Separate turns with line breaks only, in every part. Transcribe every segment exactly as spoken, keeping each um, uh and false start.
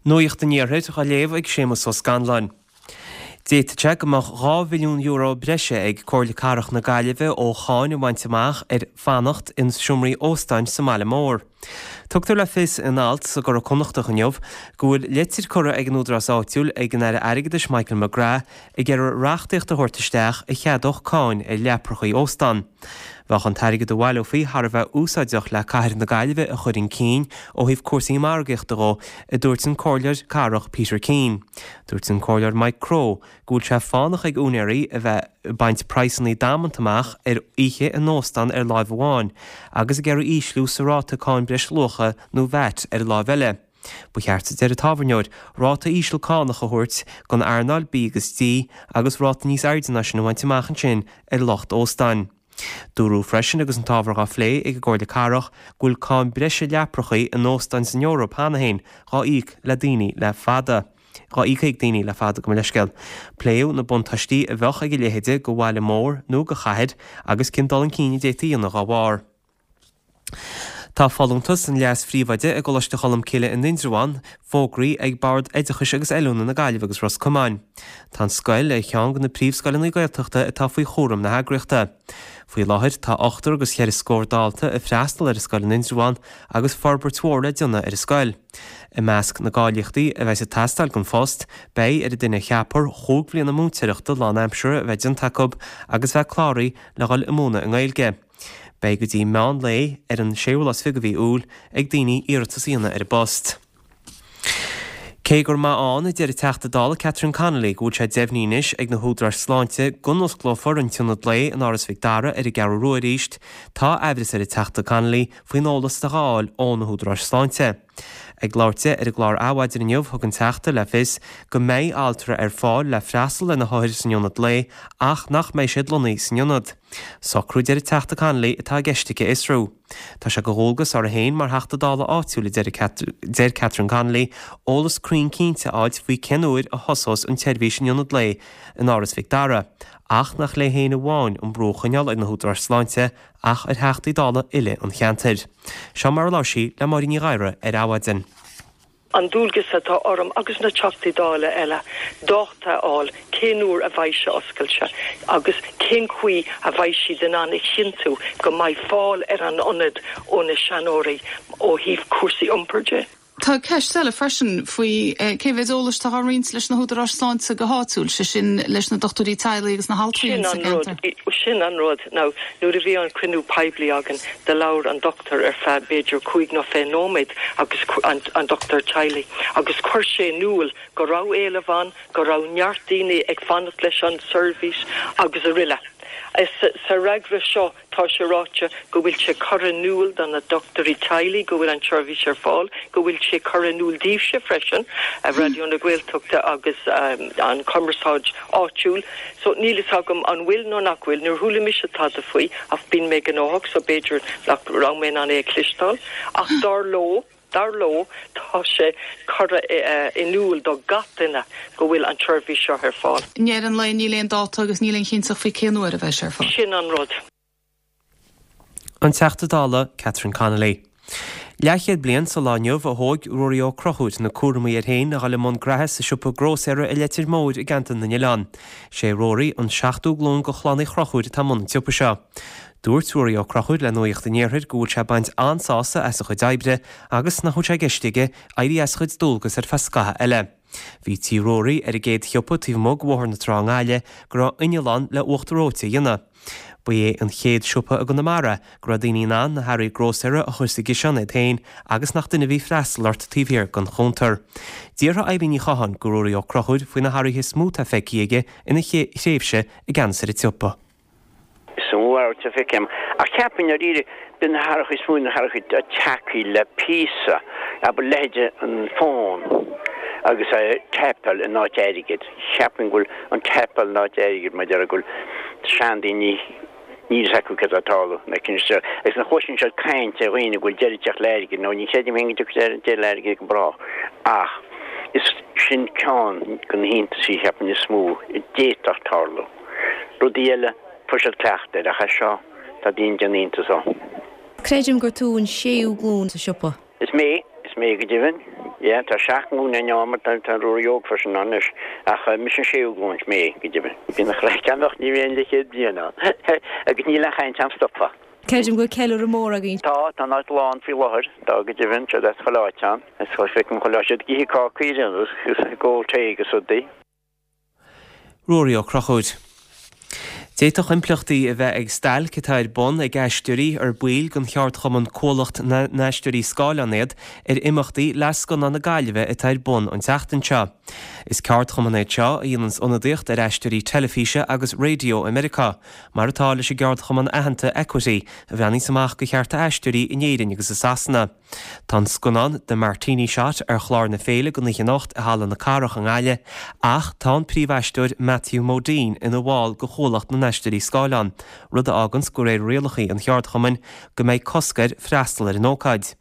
Nuacht an Iarthair á léamh ag Séamus Ó Scanláin. D'fhéadfadh sé go mbeadh dhá mhilliún euro breise ag Comhairle Cathrach na Gaillimhe ó cháin a bhaint amach ar fanacht in seomraí óstáin sa mbaile mór. Tugtar le fios in alt sa gCuradh Connachtach inniu go bhfuil litir curtha ag an údarás áitiúil ag an Aire Airgeadais Michael McGrath ag iarraidh reachtaíocht a thabhairt isteach a cheadódh cáin ar leaprachaí óstán. Bheadh an t-airgead a bhaileofaí thar a bheith úsáideach le cathair na Gaillimhe a chur chun cinn ó thaobh cúrsaí margaíochta dhó, a dúirt an comhairleoir cathrach Peter Keane. Dúirt an comhairleoir Mike Crowe go bhfuil sé fánach ag úinéirí a bheith ag baint praghsanna damanta amach ar oíche in óstán ar láimh amháin agus ag iarraidh ísliú sa ráta cáin breisluacha nó VAT ar láimh eile. Ba cheart, a deir an tábhairneoir, ráta íseal cánach a thabhairt don earnáil bídh agus dí agus ráta níos airde ná sin a bhaint amach ansin ar lucht óstáin. Dúradh freisin agus an t-ábhar á phlé ag an gComhairle Cathrach go bhfuil cáin breise leaprachaí in óstáin san Eoraip cheana féin dhá íoc le daoine le fada. Dhá íoc ag daoine le fada, gabh mo leithscéal. Pléadh na buntáistí a bheadh ag a leithéide do bhaile mór nó do chathair agus cén dul chun cinn a d'fhéadfaí a dhéanamh dá bharr. Tá folúntas an leas-phríomhoide i gColáiste Cholmcille in Indreabhán fógraithe ag Bord Oideachais agus Oiliúna na Gaillimhe agus Ros Comáin. Tá an scoil ar cheann de na príomhscoileanna Gaeltachta atá faoi chúram na heagraíochta. Faoi láthair tá ochtar agus cheithre scór dalta ag freastal ar an scoil in Indreabhán agus forbairt mhór le déanamh ar an scoil. I measc na gcáilíochtaí a bheas ag teastáil don phost, beidh ar an duine a cheapfar chúig bhliana múinteoireachta lánaimseartha a bheith déanta acu agus bheith cláraithe le dhul ag múineadh i nGaeilge. Beidh go dtí meán lae ar an séú lá is fiche de mhí Iúil ag daoine iarratas a dhéanamh ar an bpost. Cé gur maith ann, a deir an Teachta Dála Catherine Connolly, go bhfuil sé deimhnithe anois ag na húdaráis sláinte go n-osclófar an t-ionad lae in Áras Mhic Dara ar an gCeathrú Rua arís, tá aimhreas ar an Teachta Connolly faoin eolas atá á fháil ó na húdaráis sláinte. Ag labhairt di ar an gclár Adhmhaidin inniu, thug an Teachta le fios go mbeidh altra ar fáil le freastal ar na hothair san ionad lae ach nach mbeidh siad lonnaithe san ionad. Socrú, a deir an Teachta Connolly, atá i gceist aici a fhiosrú. Tá sé de dhualgas uirthi féin mar Theachta Dála áitiúil, a deir Catherine Connolly, eolas cruinn cinnte a fháilt faoi cén uair a thosós an tseirbhís in ionad lae in Áras Mhic Dara, ach nach léi féin amháin an brú a choinneáil ar na húdaráis sláinte ach ar Theachtaí Dála uile an cheantair. Seo mar a labhair sí le Máirín Ní Ghadhra ar Adhmhaidin.
An dualgas atá orm agus na Teachtaí Dála eile dáta a fháil cén uair a bheidh sé oscailte agus cén chaoi a bheidh siad in ann a chinntiú go mbeidh fáil ar an ionad ó na seanóirí ó thaobh cúrsaí iompair de.
Tá ceist eile freisin faoi cé mhéad eolais atá á roinnt leis na húdaráis sláinte go háitiúil, sé sin leis na dochtúirí teaghlaigh agus na haltraí
sa gceantar. Sin an rud. Now, nuair a bhí an cruinniú poiblí againn, do labhair an dochtúir ar feadh b'fhéidir cúig nó fiche nóiméad agus an, an dochtúir teaghlaigh agus chuir sé in iúl go raibh éileamh ann, go raibh neart daoine ag fanacht leis an seirbhís agus araile. Sa fhreagra seo tá sé ráite go bhfuil sé curtha in iúl do na dochtúirí teaghlaigh go bhfuil an tseirbhís ar fáil, go bhfuil sé curtha in iúl daoibhse freisin, Raidió na Gaeltachta agus an chumarsáid áitiúil. So níl fhios agam an bhfuil nó nach bhfuil, níor chuala mise tada faoi ach bíonn mé gnóthach so b'fhéidir nach raibh mé in ann é a chloisteáil. Ach dar leo, dar leo, tá sé curtha in iúl do gach duine go bhfuil an tseirbhís seo ar fáil.
I ndeireadh an lae níl aon dáta agus níl aon chinnteacht faoi cén uair a bheidh sé ar fáil.
Sin an rud.
An Teachta Dála Catherine Connolly. Leathchéad bliain sa lá inniu a thóg Ruairí Ó Conchúir na cúramaí air féin a dhul i mbun graithe sa siopa grósaera i Leitir Móir i gCeantar na nOileán. Sé Ruairí an seachtú glúin de chlann Uí Chonchúir atá i mbun an tsiopa seo. Dúirt Ruairí Ó Conchúir le Nuacht an Iarthair go bhfuil sé ag baint an-sásamh as a chuid oibre agus nach bhfuil sé i gceist aige éirí as a chuid dualgas ar feadh scaitheamh eile. Bhí Tí Ruairí ar an gcéad shiopa taobh amuigh de Bhóthar na Trá i nGaillimh go raibh inneall ann le uachtar reoite a dhéanamh. Ba é an chéad siopa i gConamara go raibh daoine in ann na hearraí grósaera a chur sa gciseán iad féin agus nach duine a bhí ag freastal ort taobh thiar den chuntar. D'fhiafraigh Eilín Ní Chatháin de Ruairí Ó Conchúir faoi na hathruithe is mó atá feicthe aige ina thréimhse i gceannas ar an tsiopa.
Is mó athrú atá feicthe agam. Ach cheapfainn dáiríre, b'in na hathruithe is mó, na hathruithe atá tagtha le píosa, abair leithéide an fón agus é taipeáil in áit airgid. Cheapfainn go bhfuil an taipeáil in áit airgid mar deir go bhfuil seandaoine níl fhios acu céard atá ag tarlú na cinn seo agus nuair a chloiseann siad caint ar dhaoine go bhfuil deireadh ag teacht le airgead nó ní chreidim féin go dtiocfaidh deireadh le airgead go brách ach is sin ceann de na hiontaisí cheapfainn is mó a d'fhéadfadh tarlú. Rudaí eile, fuair siad cleachtadh air, ach é seo, tá daoine ag déanamh iontais dó.
Creidim gur tú an séú glúin sa siopa.
Is mé, is mé go deimhin. Yeah, tá seacht nglúin ann mar tá tá Ruairí óg freisin ann anois ach mise an séú glúin mé go deimhin. Bíonn an chraic ann ach ní bhíonn le chéad bliain ann. Agus níl aon chaint am stopadh.
Creidim go bhfuil ceiliúradh mór againn.
Tá, tá an áit lán faoi láthair, tá go deimhin, tá as chuile áit ann. Is feicim chuile siad ag ithe cácaí agus ag ól tae agus rudaí.
Ruairí Ó Conchúir. D'fhéadfadh impleachtaí a bheith ag stailc atá ar bun ag aisteoirí ar baill den cheardchumann Cuallacht na nAisteoirí Scáileán iad ar imeachtaí Fhleadh Scannán na Gaillimhe atá ar bun an tseachtain seo. Is ceardchumann é seo a dhéananns ionadaíocht ar aisteoirí teilifíse agus raidió i Meiriceá, mar atá leis an gceardchumann aitheanta Equity a bhreathnaíos amach do chearta aisteoirí in Éirinn agus i Sasana. Tá an scannán The Martini Shot ar chlár na féile don oíche anocht i Halla na Cathrach i nGaillimh, ach tá an príomhaisteoir Matthew Modine ina bhall de Chuallacht na nAisteoirí Scáileán, rud a fháganns de réir rialacha an cheardchumainn go mbeidh cosc air freastal ar an ócáid.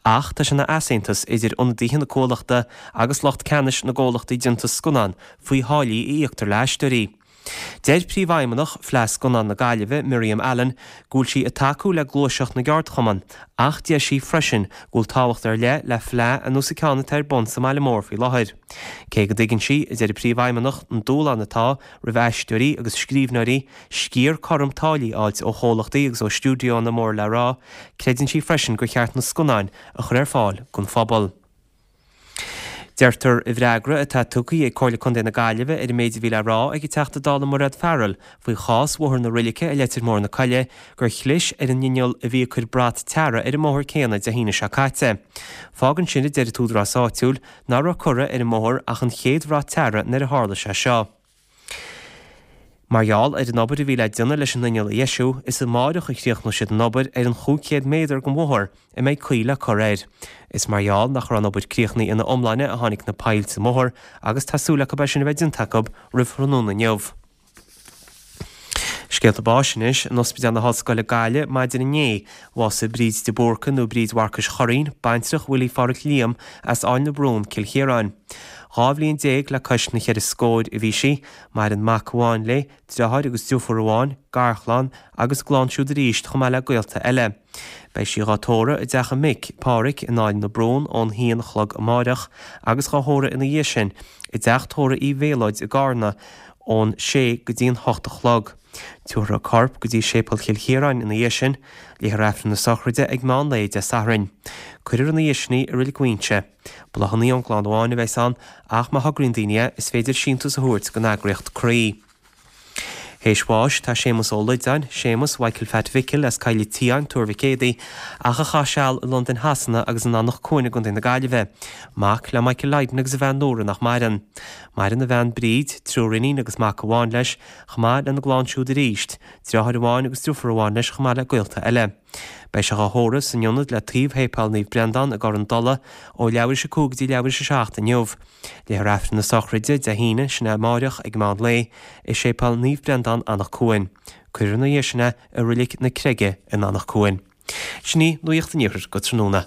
Ach tá sé ina easaontas idir ionadaithe na cuallachta agus lucht ceannais na gcomhlachtaí déanta scannán faoi tháillí a íoctar le haisteoirí. Deir Príomhfheidhmeannach Fleadh Scannán na Gaillimhe, Miriam Allen, go bhfuil sí ag tacú le gluaiseacht na gceardchumann, ach deir sí freisin go bhfuil tábhacht ar leith le fleadh ar nós an ceann atá ar bun sa mbaile mór faoi láthair. Cé go dtuigeann sí, a deir an Príomhfheidhmeannach, an dúshlán atá roimh aisteoirí agus scríbhneoirí sciar cothrom táillí a fháilt ó chomhlachtaí agus ó stiúideonna mór le rá, creideann sí freisin gur cheart na scannáin a chur ar fáil don phobal. Deirtear i bhfreagra atá tugtha ag Comhairle Contae na Gaillimhe ar an méid a bhí le rá ag an Teachta Dála Mairéad Farrell faoi chás Bhóthar na Roilice i Leitir Móir na Coille gur chlis ar an inneall a bhí ag cur brat tarra ar an mbóthar céanna Dé hAoine seo caite. Fágann sin, a deir an t-údarás áitiúil, nach raibh curtha ar an mbóthar ach an chéad bhrat tarra nuair a tharla sé seo. Mar gheall ar an obair a bhí le déanamh leis an inneall a dheisiú, is amáireach a chríochnóidh siad an obair ar an chúig chéad méadar den bhóthar a mbeidh caoi le cur air. Is mar gheall nach raibh an obair críochnaithe ina iomláine a tháinig na poill sa mbóthar agus tá súil acu é sin a bheith déanta acu roimh thráthnóna inniu. Scéalta báis anois, in Ospidéal na hOllscoile Gaillimh maidin inné, bhásaigh Bríd de Búrca nó Bríd Mharcais Churraoin, baintreach Willie Pháraic Liam as Áill na Brún, Cill Chiaráin. Dhá bhliain déag le cois na cheithre scóir a bhí sí. Maireann mac amháin léi, deartháir agus deirfiúr amháin, garchlann agus a gclann siúd arís chomh maith le gaolta eile. Beidh sí dhá tórramh i dteach a mic, Páraic, in Áill na Brún ón haon a chlog amáireach agus dhá thórramh ina dhiaidh sin i dteach tórraimh Uí Mhéalóid i gCarna ón sé go dtí an hocht a chlog. Tabharfar a corp go dtí Séipéal Chill Chiaráin ina dhiaidh sin. Léifear Aifreann na sochraide ag meán lae Dé Sathairn. Cuirfear ina dhiaidh sin í i Reilig Mhaínse. Bláthanna ón gclann amháin a bheas ann ach má thograíonn daoine é, is féidir síntiús a thabhairt don eagraíocht Croí. Théis bháis tá Séamus Ó Loideáin, Séamus Mhichael Phat Mhicil as Coill an tSiáin, Tuar Mhic Éadaigh, ach a chaith seal i Londain Shasana agus in Anach Cuain i gContae na Gaillimhe. Mac le Michael Lydon agus a bhean Nóra nach maireann. Maireann a bhean Bríd, triúr iníon agus mac amháin leis, chomh maith lena gclann siúd arís, deartháir amháin agus deirfiúr amháin leis chomh maith le gaolta eile. Beidh sé dhá thórramh san ionad le taobh Shéipéal Naomh Breandán i gCorr an Dola ó leathuair tar éis a cúig go dtí leathuair tar éis a seacht inniu. Léifear Aifreann na sochraide Dé hAoine, sin é amáireach, ag meán lae, i Séipéal Naomh Breandán, Anach Cuain. Cuirfear ina dhiaidh sin é i Roilic na Creige in Anach Cuain. Sin í Nuacht an Iarthair go tráthnóna.